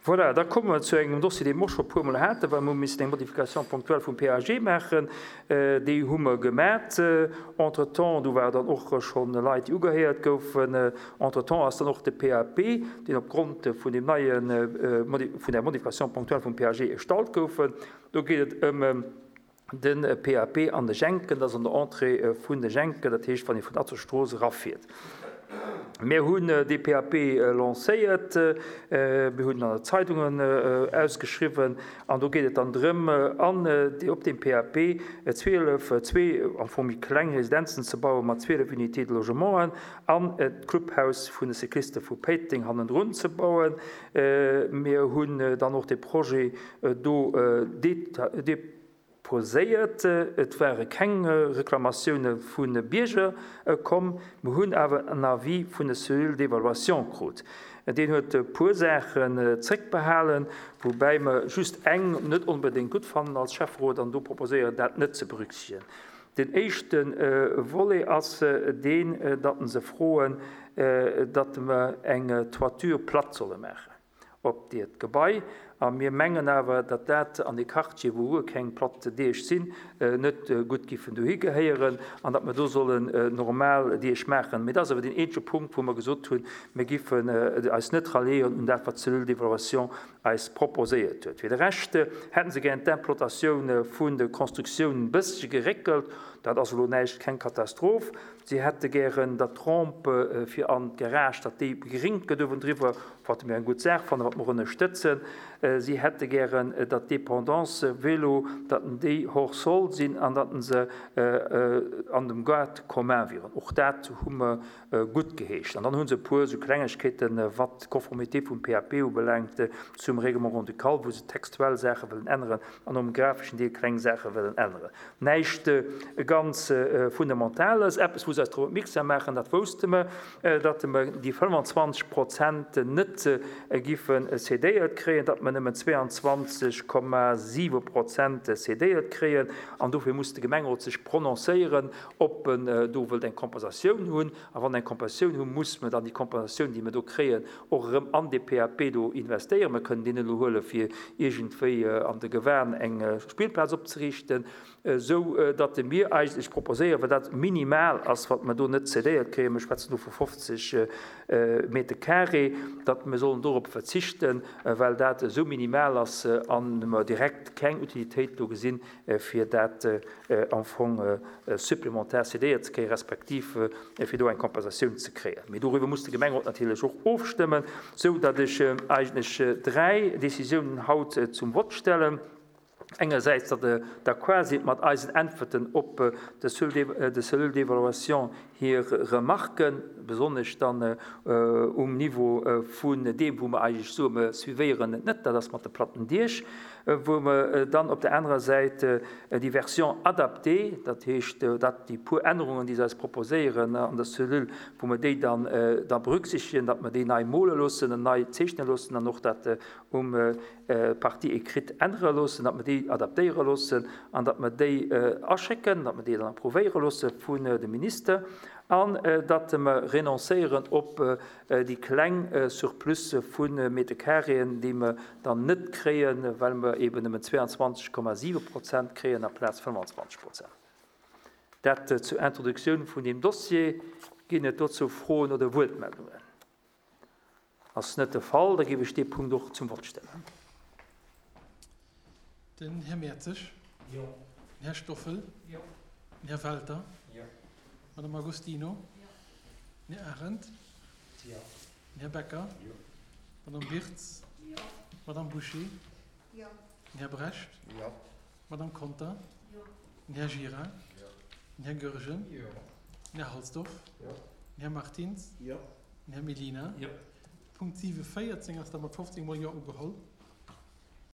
Voilà, da komme mer zu engem Dossier, dee mer och scho e puermol haten, well mer hu missen eng Modification ponctuelle vum PAG maachen. Déi hu mer gemat. Entretemps, do ware dann och scho Leit, déi ugehéiert goufen. Entretemps ass dann och de PAP, deen opgrond vun deem neien, vun där Modification ponctuelle vum PAG erstallt goufen. Do geet et ëm de PAP an de Jenken, dat ass an der Entrée vun de Jenken, dat heescht, wann ee vun der Atzerstrooss erafiert. Mir hunn dee PAP lancéiert, mir hunn en an der Zeidungen ausgeschriwwen an do geet et dann drëm, an op deem PAP 12, zwee am Fong méi kleng Residenzen ze bauen mat 12 Unités de logementen an d'Clubhaus vun de Cycliste vu Péiteng hannendrun ze bauen. Mir hunn dann och dee Projet do deposéiert. Et ware keng Reklamatioune vu Bierger komm. Mir hunn awer en Avis vun der Cellule d'évaluation krut. Deen huet e puer Saachen zréckbehalen, woubäi mer just eng net onbedéngt gutt fannen als Schäfferot an do proposéieren, dat net ze berücksichtegen. Den éischte Volet ass deen, datt se froen, datt mer eng Toiture plate solle maachen op diert Gebai. A mir mengen awer, datt dat an dee Quartier, wou guer keng platt Diech sinn, net gutt giffen dohi gehéieren an datt mer do sollen normal Diech maachen. Mee dat ass awer deen eenzege Punkt, wou mer gesot hunn, mir giffen eis net ralliéieren un dat, wat d'Cellule d'évaluation eis proposéiert huet. Fir de Rescht hätten se gären d'Implantatioun vun de Constructiounen e bëssche geréckelt. Dat ass elo näischt, keng Katastroph. Si hätte gären, datt d'Rampe fir an d'Garage, datt déi begringt gëtt uewendriwwer, wat mir eng gutt Saach fannen, wat mer och ënnerstëtzen. Si hätte gären, datt d'Dépendance Vélo, datt déi hors sol sinn an datt se an dem Gaart commun wieren. Och dat hu mer guttgeheescht. An dann hu se e puer esou Klengegkeeten, wat d'Conformité vum PAP ubelaangt zum Règlement grand-ducal, wou se textuell Saache wëllen änneren an um grafeschen Deel kleng Saache wëllen änneren. Näischt ganz Fundamentales, eppes wou se eis drop opmierksam maachen, dat wousste mer, datt mer déi 25 Prozent net giffe cédéiert kréien, datt mer nëmmen 22,7 Prozent cédéiert kréien. An dofir muss de Gemengerot sech prononcéieren, ob en do wëllt eng Kompensatioun hunn. A wann en eng Kompensatioun hu, muss mer dann déi Kompensatioun, déi mer do kréien, och erëm an dee PAP do investéieren. Mer kënnen deen elo huele fir iergendwéi an de Gewan eng Spillplaz opzeriichten, esou datt mir eigentlech proposéieren, well dat minimal ass, wat mer do net cédéiert kréien, mir schwätzen do vu 50 Meter carré, datt mer sollen dorop verzichten, well dat esou minimal ass a mer direkt keng Utilitéit do gesinn, fir dat am Fong supplémentaire cédéiert ze kréien, respektiv fir do eng Kompensatioun ze kréien. Mee doriwwer muss de Gemengerot natierlech och ofstëmmen, sou datt ech eigentlech dräi Décisiounen haut zum Vott stellen. Engersäits, datt Der d'accord sidd mat eisen Äntwerten op de Cellule d'évaluation hir Remarken, besonnesch dann um Niveau vun deem, wou mer eigentlech soen, mer suivéieren et net, dat ass mat de platten Diech, wou mer dann op der anerer Säit déi Version adaptée, dat heescht, dat déi puer Ännerungen, déi se eis proposéieren an der Cellule, wou mer déi dann da berücksichtegen, datt mer déi nei mole loossen an nei zeechne loossen an och dat um Partie écrite ännere loossen, datt mer déi adaptéiere loossen an datt mer déi aschécken, datt mer déi dann approuvéiere loosse vun dem Minister an datt mer renoncéieren op déi kleng Surplusse vu Meterkareeën, déi mer dann net kréien, well mer eben nëmmen 22,7 Prozent kréien amplaz 25 Prozent. Dat zur Introduktioun vun deem Dossier. Ginn et dozou Froen oder Wuertmeldungen? Ass net de Fall, da géif ech dee Punkt och zum Vott stellen. Den Här Mertzig. Jo. Den Här Stoffel. Jo. Den Här Welter. Jo. D'Madame Agostino. Jo. Den Här Arendt. Jo. Den Här Becker. Jo. D'Madame Wirtz. Jo. D'Madame Bouché. Jo. Den Här Brecht. Jo. D'Madame Conter. Jo. Den Här Gira. Jo. Den Här Goergen. Jo. Den Här Halsdorf. Jo. Den Här Martins. Jo. Den Här Mellina. Jo. Punkt 7, 14 ass da mat 15 mol Jo ugeholl.